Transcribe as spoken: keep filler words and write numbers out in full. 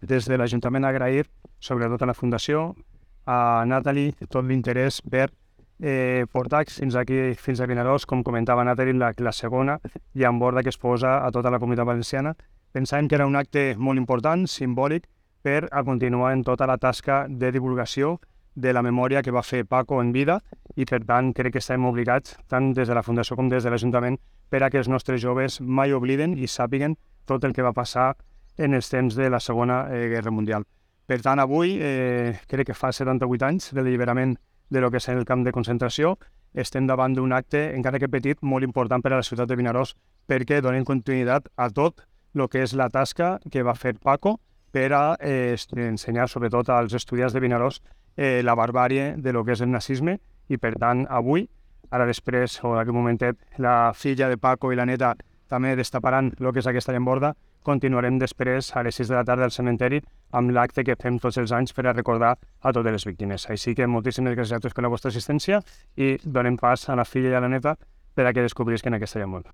des de l'Ajuntament agrair, sobretot a la Fundació, a Natalie, tot l'interès per eh, portar fins aquí, fins a Vinaròs, com comentava Natalie, la, la segona llamborda que es posa a tota la comunitat valenciana. Pensàvem que era un acte molt important, simbòlic, per a continuar en tota la tasca de divulgació de la memòria que va fer Paco en vida i, per tant, crec que estem obligats, tant des de la Fundació com des de l'Ajuntament, per a que els nostres joves mai obliden i sàpiguen tot el que va passar en els temps de la Segona eh, Guerra Mundial. Per tant, avui, eh, crec que fa setanta-vuit anys de l'alliberament de lo que és el camp de concentració, estem davant d'un acte, encara que petit, molt important per a la ciutat de Vinaròs, perquè donem continuïtat a tot el que és la tasca que va fer Paco per a eh, ensenyar, sobretot als estudiants de Vinaròs, eh, la barbàrie de lo que és el nazisme, i per tant, avui, ara després, o en aquell momentet, la filla de Paco i la neta també destaparan el que és aquesta llamborda. Continuarem després a les sis de la tarda al cementeri amb l'acte que fem tots els anys per a recordar a totes les víctimes. Així que moltíssimes gràcies a tots per la vostra assistència i donem pas a la filla i a la neta per a que descobrisquen aquesta llamborda.